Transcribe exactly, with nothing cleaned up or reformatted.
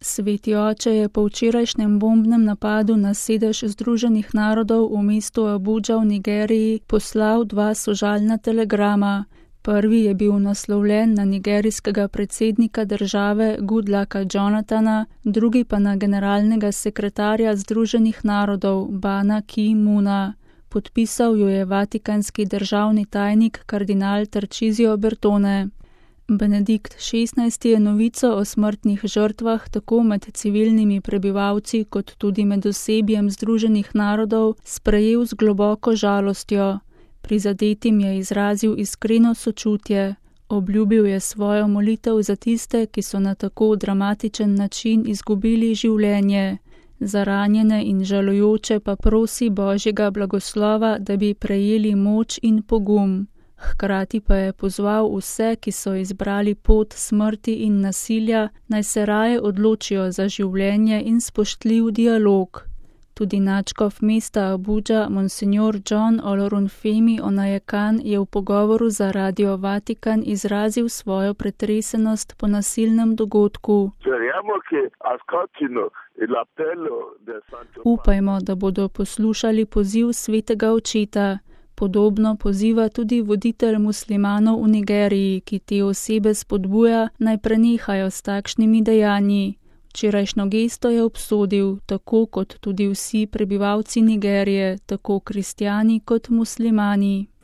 Sveti oče je po včerajšnjem bombnem napadu na sedež Združenih narodov v mestu Abudža v Nigeriji poslal dva sožalna telegrama. Prvi je bil naslovljen na nigerijskega predsednika države Goodlucka Jonathana, drugi pa na generalnega sekretarja Združenih narodov Bana Ki-muna. Podpisal jo je vatikanski državni tajnik kardinal Tarcísio Bertone. Benedikt šestnajsti je novico o smrtnih žrtvah tako med civilnimi prebivalci kot tudi med osebjem Združenih narodov sprejel z globoko žalostjo. Prizadetim je izrazil iskreno sočutje. Obljubil je svojo molitev za tiste, ki so na tako dramatičen način izgubili življenje. Za ranjene in žalujoče pa prosi Božjega blagoslova, da bi prejeli moč in pogum. Hkrati pa je pozval vse, ki so izbrali pot smrti in nasilja, naj se raje odločijo za življenje in spoštljiv dialog. Tudi nadškof mesta Abudža, monsignor John Olorunfemi Onajekan, je v pogovoru za Radio Vatikan izrazil svojo pretresenost po nasilnem dogodku. Upajmo, da bodo poslušali poziv svetega očeta. Podobno poziva tudi voditelj muslimanov v Nigeriji, ki te osebe spodbuja, naj prenehajo s takšnimi dejanji. Včerajšnjo gesto je obsodil, tako kot tudi vsi prebivalci Nigerije, tako kristjani kot muslimani.